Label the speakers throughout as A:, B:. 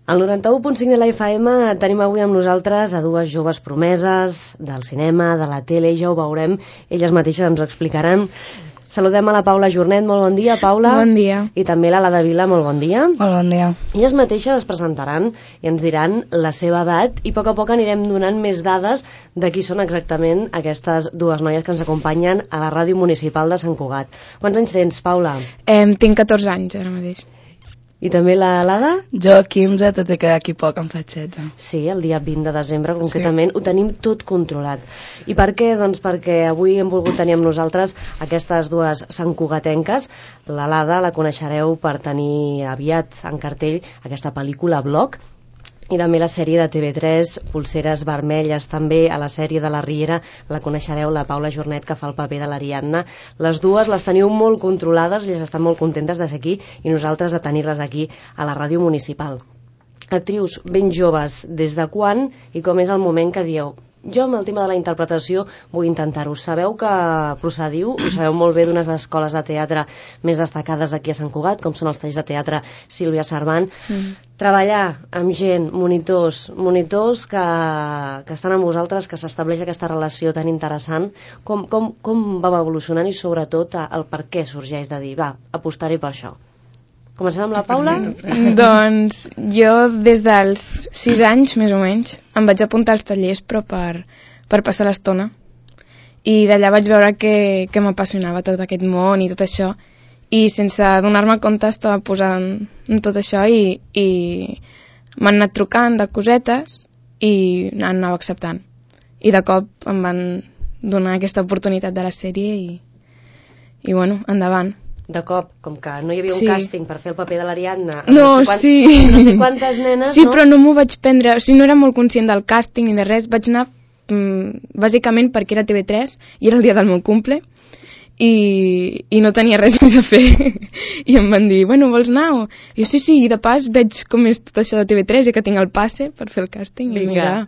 A: Al 91.5 de la FM tenim avui amb nosaltres a dues joves promeses del cinema, de la tele, ja ho veurem, elles mateixes ens ho explicaran. Saludem a la Paula Jornet, molt bon dia, Paula.
B: Bon dia.
A: I també la Lada Vila, molt bon dia.
B: Molt bon dia.
A: Elles mateixes es presentaran i ens diran la seva edat i a poc anirem donant més dades de qui són exactament aquestes dues noies que ens acompanyen a la ràdio municipal de Sant Cugat. Quants anys tens, Paula?
B: Tinc 14 anys ara mateix.
A: I també la Lada?
C: Jo 15, tot i que d'aquí poc em faig 16.
A: Sí, el dia 20 de desembre concretament, sí. Ho tenim tot controlat. I per què? Doncs perquè avui hem volgut tenir amb nosaltres aquestes dues santcugatenques. La Lada la coneixereu per tenir aviat en cartell aquesta pel·lícula Bloc, i també la sèrie de TV3 Polseres Vermelles. També a la sèrie de la Riera la coneixereu, la Paula Jornet, que fa el paper de l'Ariadna. Les dues les teniu molt controlades, elles estan molt contentes de ser aquí i nosaltres de tenir-les aquí a la ràdio municipal. Actrius ben joves, des de quan i com és el moment que dieu jo amb el tema de la interpretació vull intentar-ho? Sabeu que procediu i sabeu molt bé d'unes escoles de teatre més destacades aquí a Sant Cugat, com són els talls de teatre Sílvia Servant. Treballar amb gent, monitors que estan amb vosaltres, que s'estableix aquesta relació tan interessant, com va evolucionant i sobretot el per què sorgeix de dir, va, apostaré per això. Comencem amb la Paula?
B: Doncs jo des dels 6 anys, més o menys, em vaig apuntar als tallers però per passar l'estona. I d'allà vaig veure que m'apassionava tot aquest món i tot això. I sense donar-me compte estava posant en tot això i m'han anat trucant de cosetes i anava acceptant. I de cop em van donar aquesta oportunitat de la sèrie i bueno, endavant.
A: De cop, com que no hi havia un càsting per fer el paper de l'Ariadna,
B: no
A: sé quantes nenes,
B: sí, no? Però no m'ho vaig prendre, o sigui, no era molt conscient del càsting ni de res, vaig anar bàsicament perquè era TV3 i era el dia del meu cumple i no tenia res més a fer i em van dir, bueno, vols anar? Jo sí, i de pas veig com és tot això de TV3 i que tinc el passe per fer el càsting.
A: Vinga.
B: I mira,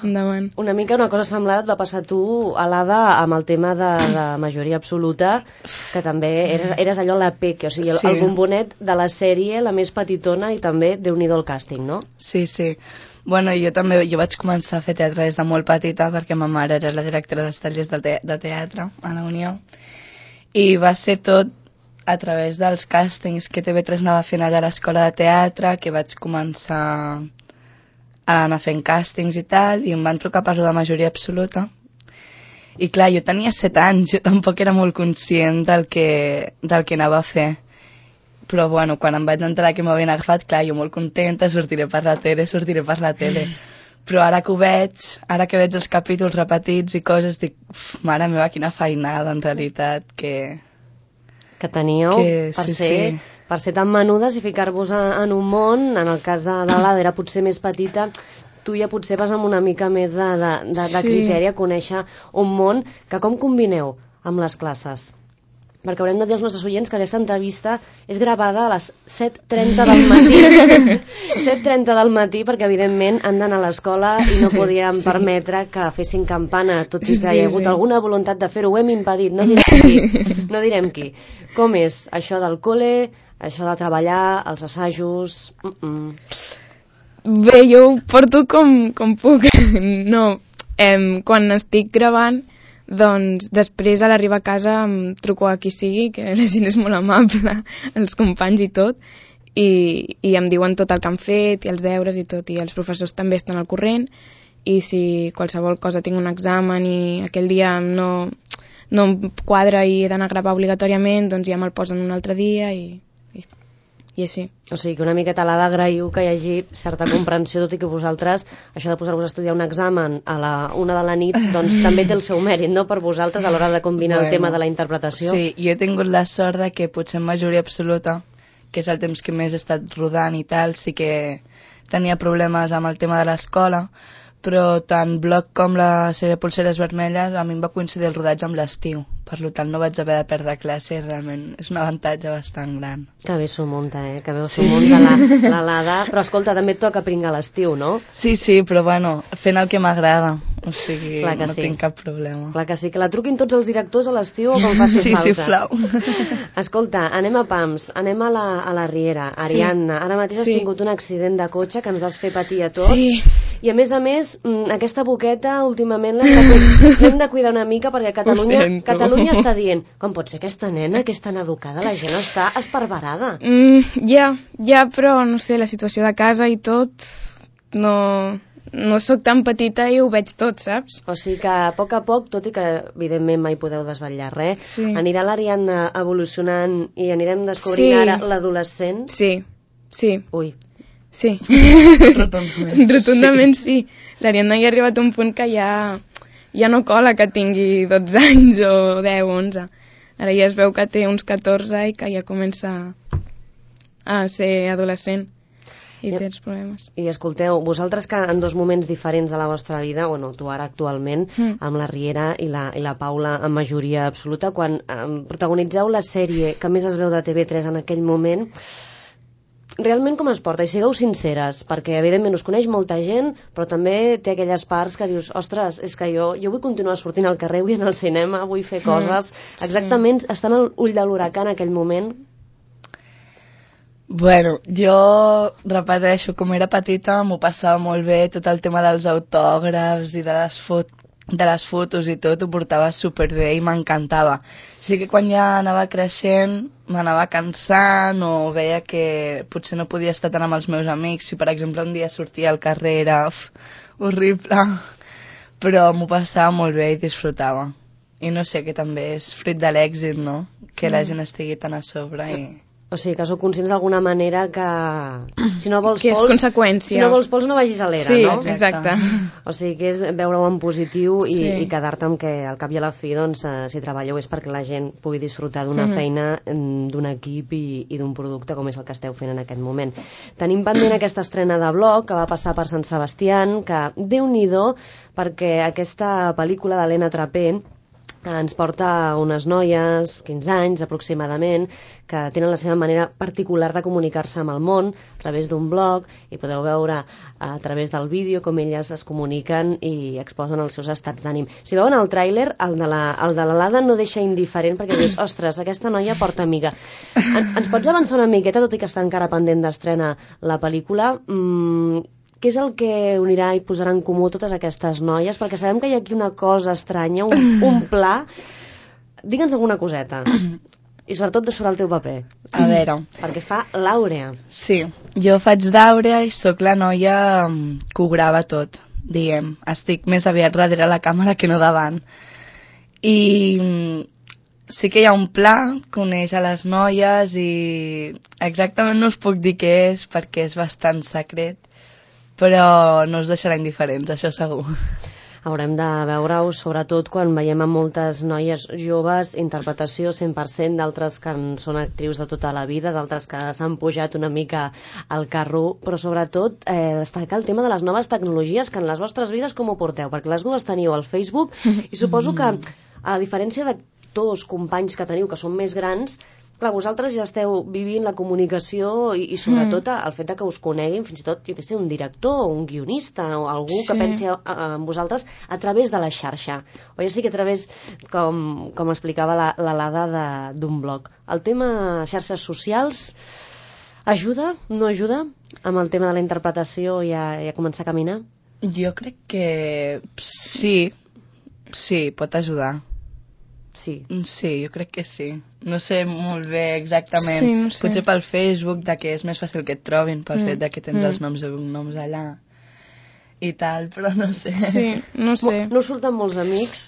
B: endavant.
A: Una mica una cosa semblant et va passar tu, a l'Ada, amb el tema de majoria absoluta, que també eres allò la peque, o sigui, el bombonet de la sèrie, la més petitona, i també Déu-n'hi-do el càsting, no?
C: Sí. Bueno, jo vaig començar a fer teatre des de molt petita perquè ma mare era la directora dels tallers de teatre a la Unió i va ser tot a través dels càstings que TV3 anava fent allà a l'escola de teatre que vaig començar a anar fent càstings i tal, i em van trucar per de majoria absoluta. I clar, jo tenia 7 anys, jo tampoc era molt conscient del que anava a fer. Però bueno, quan em vaig enterar que m'havien agafat, clar, jo molt contenta, sortiré per la tele. Però ara que ho veig, ara que veig els capítols repetits i coses, dic, mare meva, quina feinada, en realitat, que
A: teníeu per ser tan menudes i ficar-vos en un món. En el cas de l'Ada era potser més petita, tu ja potser vas amb una mica més de criteri a conèixer un món. Que com combineu amb les classes? Perquè haurem de dir als nostres oients que aquesta entrevista és gravada a les 7:30 del matí. 7:30 del matí, perquè evidentment han d'anar a l'escola i no podíem permetre que fessin campana, tot i que hi ha hagut alguna voluntat de fer-ho. Ho hem impedit, no direm qui. Com és això del col·le, això de treballar, els assajos?
B: Bé, jo ho porto com puc. No, quan estic gravant, doncs després a l'arribar a casa em truco a qui sigui, que la gent és molt amable, els companys i tot, i em diuen tot el que han fet i els deures i tot, i els professors també estan al corrent, i si qualsevol cosa tinc un examen i aquell dia no em quadra i he d'anar a gravar obligatòriament, doncs ja me'l posen un altre dia i així.
A: O sigui que una miqueta l'ha d'agrair que hi hagi certa comprensió, tot i que vosaltres, això de posar-vos a estudiar un examen a la 1 de la nit, doncs també té el seu mèrit, no?, per vosaltres a l'hora de combinar el tema de la interpretació.
C: Sí, jo he tingut la sort de que potser en majoria absoluta, que és el temps que més he estat rodant i tal, sí que tenia problemes amb el tema de l'escola, però tant Bloc com la sèrie Polseres Vermelles a mi em va coincidir el rodatge amb l'estiu, per tant no vaig haver de perdre classe i realment és un avantatge bastant gran.
A: Que bé s'ho munta, que bé s'ho munta la Lada, però escolta, també et toca pringar l'estiu, no?
C: Sí, però bueno, fent el que m'agrada o sigui,
A: Clar que
C: no
A: sí.
C: tinc cap problema.
A: Clar que sí, que la truquin tots els directors a l'estiu o com faci
C: Sí,
A: falta.
C: sisplau.
A: Escolta, anem a Pams, anem a la Riera. Ariadna, ara mateix has tingut un accident de cotxe que ens vas fer patir a tots.
B: Sí.
A: I a més, aquesta boqueta últimament l'hem de cuidar una mica perquè Catalunya està dient com pot ser aquesta nena que és tan educada, la gent està esparverada.
B: Ja, però no sé, la situació de casa i tot, no sóc tan petita i ho veig tot, saps?
A: O sigui que a poc, tot i que evidentment mai podeu desvetllar res, anirà l'Ariadna evolucionant i anirem descobrint ara l'adolescent?
B: Sí.
A: Ui.
B: Sí. Rotundament sí. L'Ariadna ja ha arribat a un punt que ja no cola que tingui 12 anys o 10 o 11. Ara ja es veu que té uns 14 i que ja comença a ser adolescent i té els problemes.
A: I escolteu, vosaltres que en dos moments diferents de la vostra vida, bueno, tu ara actualment, amb la Riera i la Paula en majoria absoluta, quan protagonitzeu la sèrie que més es veu de TV3 en aquell moment, realment com es porta? I sigueu sinceres, perquè evidentment us coneix molta gent, però també té aquelles parts que dius, ostres, és que jo vull continuar sortint al carrer, vull anar al cinema, vull fer coses. Exactament, estan al ull de l'huracà en aquell moment?
C: Bueno, jo repeteixo, com era petita m'ho passava molt bé, tot el tema dels autògrafs i de les fotos i tot, ho portava superbé i m'encantava. Així que quan ja anava creixent m'anava cansant o veia que potser no podia estar tant amb els meus amics. Si per exemple un dia sortia al carrer era horrible, però m'ho passava molt bé i disfrutava. I no sé, que també és fruit de l'èxit, no? Que la gent estigui tan a sobre i...
A: O sigui, que sou conscients d'alguna manera que si no vols
B: que és conseqüència.
A: Si no vols pols no vagis a l'era, no?
B: Sí, exacte.
A: O sigui, que és veure-ho en positiu i quedar-te amb que al cap i a la fi, doncs, si treballeu és perquè la gent pugui disfrutar d'una feina, d'un equip i d'un producte com és el que esteu fent en aquest moment. Tenim pendent aquesta estrena de blog que va passar per Sant Sebastián, que Déu-n'hi-do, perquè aquesta pel·lícula d'Helena Trapé ens porta unes noies, 15 anys aproximadament, que tenen la seva manera particular de comunicar-se amb el món a través d'un blog, i podeu veure a través del vídeo com elles es comuniquen i exposen els seus estats d'ànim. Si veuen el tràiler, el de l'Alada no deixa indiferent, perquè dius, ostres, aquesta noia porta amiga. Ens pots avançar una miqueta, tot i que està encara pendent d'estrena la pel·lícula, què és el que unirà i posarà en comú totes aquestes noies? Perquè sabem que hi ha aquí una cosa estranya, un pla. Digue'ns alguna coseta. I sobretot sobre el teu paper.
C: A veure.
A: Perquè fa l'Àurea.
C: Sí, jo faig d'Àurea i sóc la noia que ho grava tot, diguem. Estic més aviat darrere la càmera que no davant. I sí que hi ha un pla que uneix a les noies i exactament no us puc dir què és perquè és bastant secret, però no us deixarà indiferents, això segur.
A: Haurem de veure-ho, sobretot quan veiem a moltes noies joves, interpretació 100%, d'altres que són actrius de tota la vida, d'altres que s'han pujat una mica al carro, però sobretot destacar el tema de les noves tecnologies, que en les vostres vides com ho porteu? Perquè les dues teniu el Facebook i suposo que, a diferència d'actors, companys que teniu que són més grans, clar, vosaltres ja esteu vivint la comunicació i sobretot el fet de que us coneguin, fins i tot, jo què sé, un director o un guionista o algú que pensi en vosaltres a través de la xarxa. O ja sí que a través, com explicava l'Alada, d'un blog. El tema xarxes socials ajuda, no ajuda amb el tema de la interpretació i a començar a caminar?
C: Jo crec que sí, pot ajudar.
A: Sí,
C: jo crec que sí. No sé molt bé exactament.
B: Sí, no sé.
C: Potser pel Facebook, que és més fàcil que et trobin, pel fet que tens els noms i cognoms allà i tal, però no sé.
B: Sí, no sé.
A: No surten molts amics?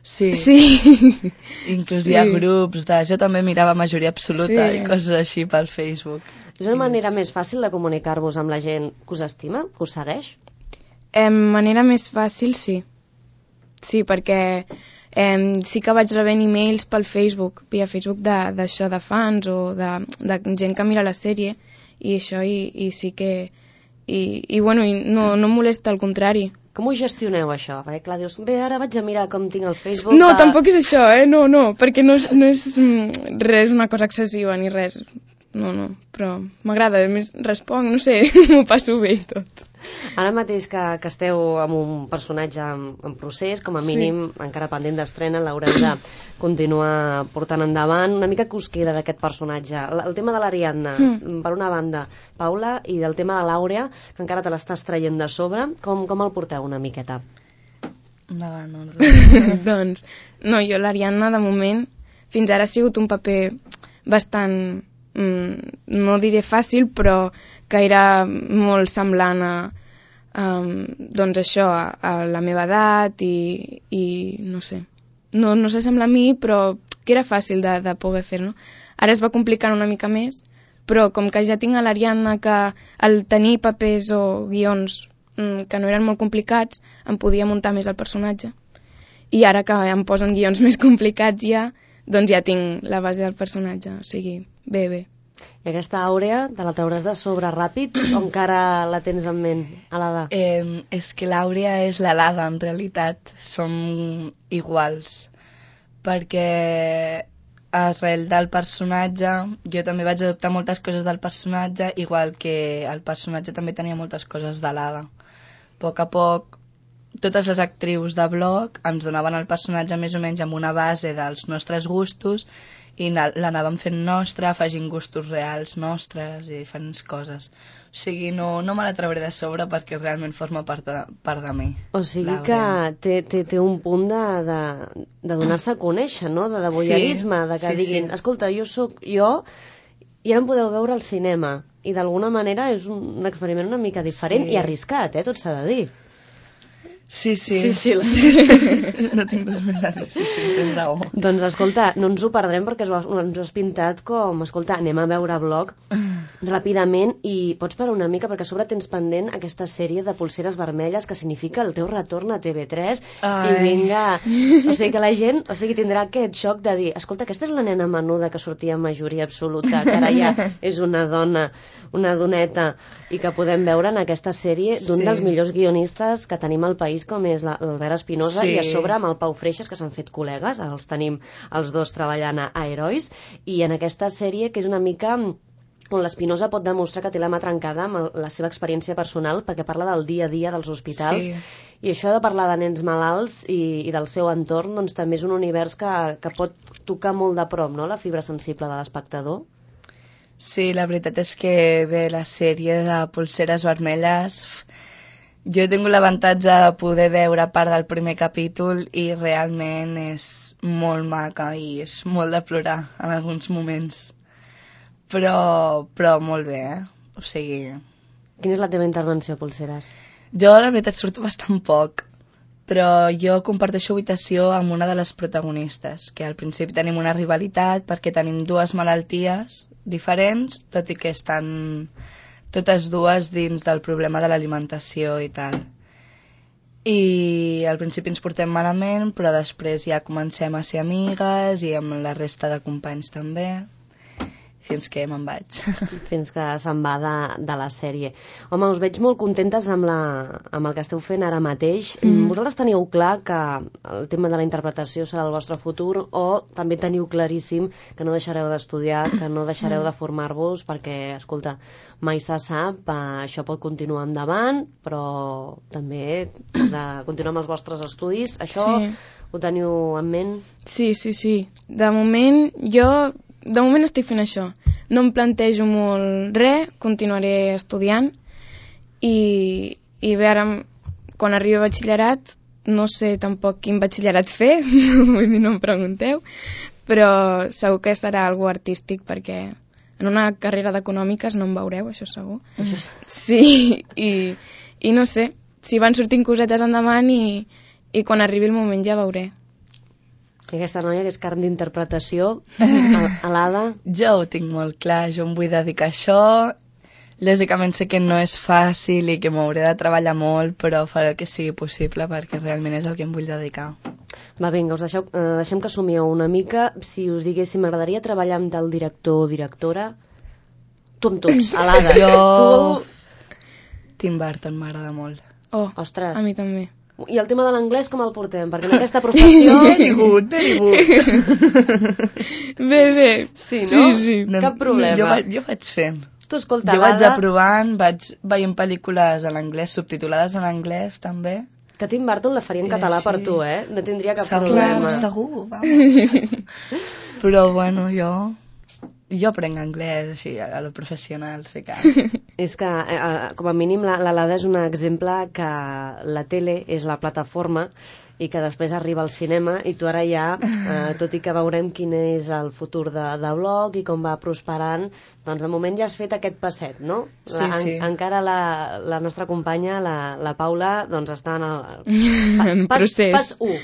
C: Sí. Inclús hi ha grups jo també mirava majoria absoluta i coses així pel Facebook.
A: És una manera més fàcil de comunicar-vos amb la gent que us estima, que us segueix?
B: Manera més fàcil, sí. Sí, perquè sí que vaig rebent e-mails pel Facebook, via Facebook d'això, de fans o de gent que mira la sèrie i això, i sí que bueno, no em molesta, al contrari.
A: Com ho gestioneu això? Perquè clar, dius, bé, ara vaig a mirar com tinc el Facebook...
B: No, tampoc és això, no, perquè no és res una cosa excessiva ni res, no, però m'agrada, a més responc, no sé, m'ho passo bé i tot.
A: Ara mateix que esteu amb un personatge en procés, com a mínim, encara pendent d'estrena, l'haureu de continuar portant endavant. Una mica que us queda d'aquest personatge? El tema de l'Ariadna, per una banda, Paula, i del tema de l'Àurea, que encara te l'estàs traient de sobre, com el porteu una miqueta?
C: Endavant,
B: Doncs, no, jo l'Ariadna, de moment, fins ara ha sigut un paper bastant, no diré fàcil, però que era molt semblant doncs això, a la meva edat i no sé, no s'assembla a mi, però que era fàcil de poder fer-no. Ara es va complicant una mica més, però com que ja tinc a l'Ariadna que al tenir papers o guions que no eren molt complicats, em podia muntar més el personatge. I ara que em posen guions més complicats doncs ja tinc la base del personatge, o sigui, bé.
A: I aquesta Àurea, te la trauràs de sobre ràpid o encara la tens en ment, Alada?
C: És que l'Àurea és l'Alada, en realitat. Som iguals. Perquè arrel del personatge, jo també vaig adoptar moltes coses del personatge, igual que el personatge també tenia moltes coses de l'Ada. A poc, totes les actrius de blog ens donaven el personatge més o menys amb una base dels nostres gustos i l'anàvem fent nostra, afegint gustos reals nostres i diferents coses. O sigui, no me la trauré de sobre perquè realment forma part de mi.
A: O sigui que té un punt de donar-se a conèixer, no? De voyeurisme, de que diguin, escolta, jo sóc jo i ara em podeu veure al cinema. I d'alguna manera és un experiment una mica diferent i arriscat, tot s'ha de dir.
C: Sí. No tinc res més a dir, sí, tens raó.
A: Doncs escolta, no ens ho perdrem perquè ens has pintat com, escolta, anem a veure blog ràpidament i pots parar una mica perquè a sobre tens pendent aquesta sèrie de Polseres vermelles que significa el teu retorn a TV3 i vinga, o sigui que la gent tindrà aquest xoc de dir, escolta, aquesta és la nena menuda que sortia en majoria absoluta, que ara ja és una dona, una doneta i que podem veure en aquesta sèrie d'un dels millors guionistes que tenim al país com és l'Albert Espinosa i a sobre amb el Pau Freixas que s'han fet col·legues, els tenim els dos treballant a Herois i en aquesta sèrie que és una mica on l'Espinosa pot demostrar que té la mà trencada amb la seva experiència personal perquè parla del dia a dia dels hospitals i això de parlar de nens malalts i del seu entorn doncs també és un univers que pot tocar molt de prop, no?, la fibra sensible de l'espectador.
C: Sí, la veritat és que bé, la sèrie de Polseres vermelles jo he tingut l'avantatge de poder veure part del primer capítol i realment és molt maca i és molt de plorar en alguns moments. Però molt bé, O sigui...
A: Quina és la teva intervenció, Polseres?
C: Jo, la veritat, surto bastant poc, però jo comparteixo habitació amb una de les protagonistes, que al principi tenim una rivalitat perquè tenim dues malalties diferents, tot i que estan totes dues dins del problema de l'alimentació i tal. I al principi ens portem malament, però després ja comencem a ser amigues i amb la resta de companys també, fins que me'n vaig.
A: Fins que se'n va de la sèrie. Home, us veig molt contentes amb el que esteu fent ara mateix. Vosaltres teniu clar que el tema de la interpretació serà el vostre futur o també teniu claríssim que no deixareu d'estudiar, que no deixareu de formar-vos perquè, escolta, mai se sap, això pot continuar endavant, però també de continuar amb els vostres estudis. Això ho teniu en ment?
B: Sí. De moment estic fent això. No em plantejo molt res, continuaré estudiant i bé, ara quan arribi a batxillerat no sé tampoc quin batxillerat fer, vull dir, no em pregunteu, però segur que serà algo artístic perquè en una carrera d'econòmiques no em veureu, això segur. Sí, i no sé, si van sortint cosetes endavant i quan arribi el moment ja veuré.
A: I aquesta noia que és carn d'interpretació, Alada?
C: Jo ho tinc molt clar, jo em vull dedicar a això. Lògicament sé que no és fàcil i que m'hauré de treballar molt, però faré el que sigui possible perquè realment és el que em vull dedicar.
A: Va, vinga, deixem que somieu una mica. Si us diguéssim, m'agradaria treballar amb el director o directora? Tu amb tots, Alada.
C: Jo... Tim Burton m'agrada molt.
B: Oh,
A: ostres.
B: A mi també.
A: I el tema de l'anglès com el portem? Perquè en aquesta professió...
C: Very good.
B: Bé.
A: Sí, no?
B: Sí.
A: Cap problema.
C: Jo vaig fent.
A: Tu, escolta,
C: jo vaig aprovant, vaig veient pel·lícules en anglès, subtitulades en anglès, també.
A: Que Tim Burton la faria en català per tu, eh? No tindria cap
C: segur,
A: problema.
C: Segur, vamos. Però, bueno, jo aprenc anglès, així, a lo professional, sí que...
A: És que, com a mínim, l'Alada és un exemple que la tele és la plataforma i que després arriba al cinema i tu ara ja, tot i que veurem quin és el futur de blog i com va prosperant, doncs de moment ja has fet aquest passet, no?
C: Sí.
A: Encara la nostra companya, la Paula, doncs està en
B: procés.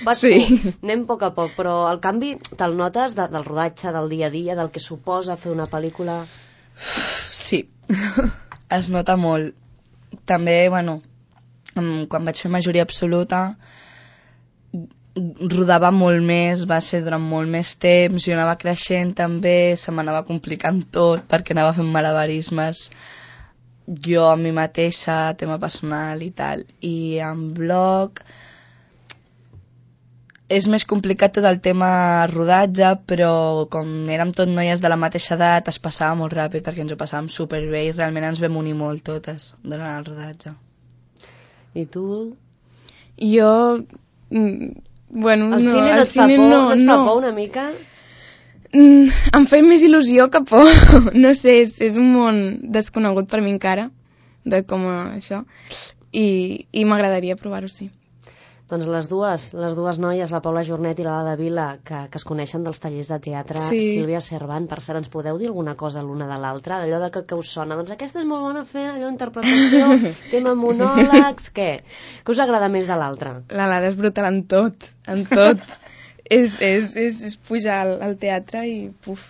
A: Pas 1. Anem a poc, però el canvi te'l notes del rodatge, del dia a dia, del que suposa fer una pel·lícula?
C: Sí, es nota molt. També, bueno, quan vaig fer majoria absoluta, rodava molt més, va ser durant molt més temps, jo anava creixent també, se m'anava complicant tot perquè anava fent malabarismes jo a mi mateixa, tema personal i tal, i en blog és més complicat tot el tema rodatge, però com érem tot noies de la mateixa edat es passava molt ràpid perquè ens ho passàvem superbé i realment ens vam unir molt totes durant el rodatge.
A: I tu?
B: Jo... Bueno,
A: el cine no et fa por una mica?
B: Em feia més il·lusió que por. No sé, és un món desconegut per mi encara, de com això, i m'agradaria provar-ho, sí.
A: Doncs les dues noies, la Paula Jornet i l'Alada Vila, que es coneixen dels tallers de teatre, sí. Sílvia Servan, per cert, ens podeu dir alguna cosa l'una de l'altra? Allò de que us sona, doncs aquesta és molt bona fent allò interpretació, tema monòlegs, què? Què us agrada més de l'altra?
B: L'Alada és brutal en tot, és pujar al teatre i puf.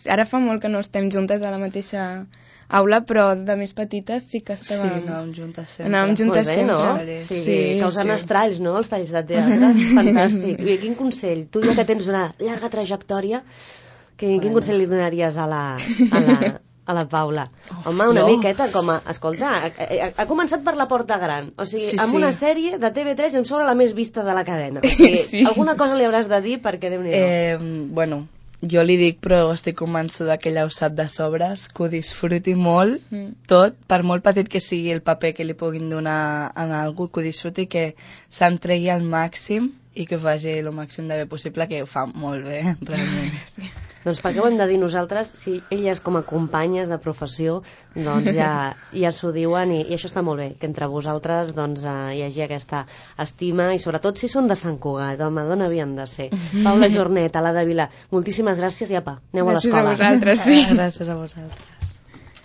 B: Ara fa molt que no estem juntes a la mateixa aula, però de més petites sí que estàvem...
C: Sí, anàvem juntes sempre.
A: Molt bé, no? Sí, causant estralls, no?, els talls de teatre. Fantàstic. I quin consell? Tu ja que tens una llarga trajectòria, quin consell li donaries a la Paula? Home, una miqueta com a... Escolta, ha començat per la Porta Gran. O sigui, amb una sèrie de TV3 em sobra la més vista de la cadena. O sigui, alguna cosa li hauràs de dir perquè Déu-n'hi-do.
C: Bueno... Jo li dic, però estic convençuda que ella ho sap de sobres, que ho disfruti molt, tot, per molt petit que sigui el paper que li puguin donar a algú, que ho disfruti, que s'entregui al màxim i que ho faci el màxim de bé possible, que ho fa molt bé, realment.
A: Doncs per què ho hem de dir nosaltres, si elles com a companyes de professió doncs ja s'ho diuen i això està molt bé, que entre vosaltres doncs, hi hagi aquesta estima i sobretot si són de Sant Cugat, home, d'on havien de ser? Paula Jornet, Alada Vila, moltíssimes gràcies i apa, aneu a l'escola.
B: Gràcies a vosaltres, sí.
C: Gràcies a vosaltres.